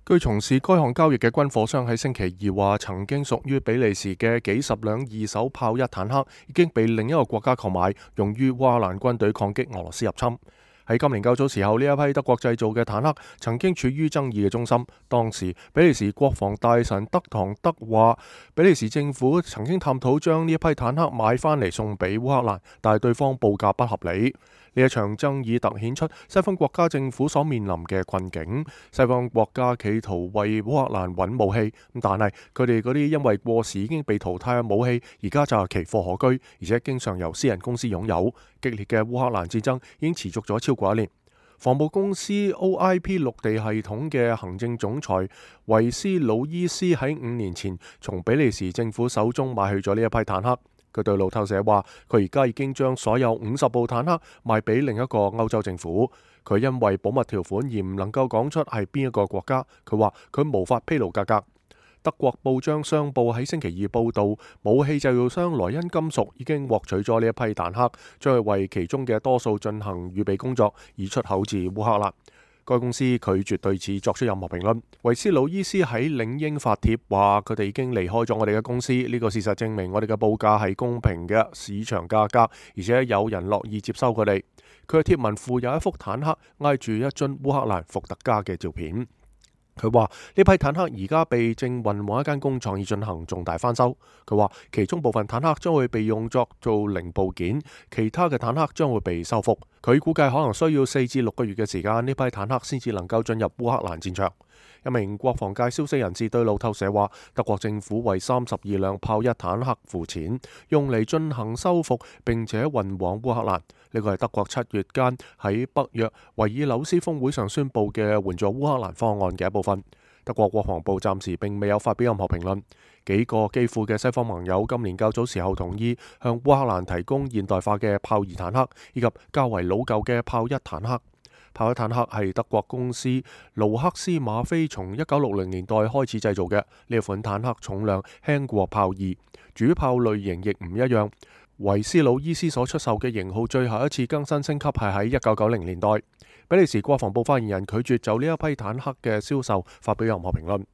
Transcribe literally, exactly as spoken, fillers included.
據從事該項交易嘅軍火商喺星期二話，曾經屬於比利時嘅幾十輛二手豹一坦克已經被另一個國家購買，用於烏克蘭軍隊抗擊俄羅斯入侵。喺今年較早時候，呢一批德國製造嘅坦克曾經處於爭議嘅中心。當時比利時國防大臣德唐德話，比利時政府曾經探討將呢一批坦克買翻嚟送俾烏克蘭，但係對方報價不合理。呢一場爭議突顯出西方國家政府所面臨嘅困境。西方國家企圖為烏克蘭揾武器，但係佢哋嗰啲因為過時已經被淘汰嘅武器，而家就係奇貨可居，而且經常由私人公司擁有。激烈嘅烏克蘭戰爭已經持續咗超過一年。防暴公司 O I P 陸地系統嘅行政總裁維斯魯伊斯喺五年前從比利時政府手中買去咗呢一批坦克。佢對路透社話，佢而家已經將所有五十部坦克賣俾另一個歐洲政府。佢因為保密條款而唔能夠講出係邊一個國家。佢話佢無法披露價格。德國報章商報喺星期二報道，武器製造商萊茵金屬已經獲取咗呢一批坦克，將會為其中嘅多數進行預備工作，以出口至烏克蘭。該公司拒絕對此作出任何評論。維斯魯伊斯喺領英發帖話，佢哋已經離開咗我哋嘅公司，呢個事實證明我哋嘅報價係公平嘅市場價格，而且有人樂意接收佢哋。佢嘅貼文附有一幅坦克挨住一樽烏克蘭伏特加嘅照片。佢話呢批坦克而家被正運往一間工廠以進行重大翻修。佢話其中部分坦克將會被用作做零部件，其他嘅坦克將會被修復。佢估計可能需要四至六個月嘅時間，呢批坦克先至能夠進入烏克蘭戰場。一名國防界消息人士對路透社話，德國政府為三十二輛豹一坦克付錢，用嚟進行修復並且運往烏克蘭。呢個係德國七月間喺北約維爾紐斯峰會上宣布嘅援助烏克蘭方案嘅一部分。德國國防部暫時並未有發表任何評論。幾個基輔嘅西方盟友今年較早時候同意向烏克蘭提供現代化嘅豹二坦克以及較為老舊嘅豹一坦克。豹一坦克係德國公司盧克斯馬菲從一九六零年代開始製造嘅。呢款坦克重量輕過豹二，主炮類型亦唔一樣。維斯魯伊斯所出售嘅型號最後一次更新升級係喺一九九零年代。比利時國防部發言人拒絕就呢一批坦克嘅銷售發表任何評論。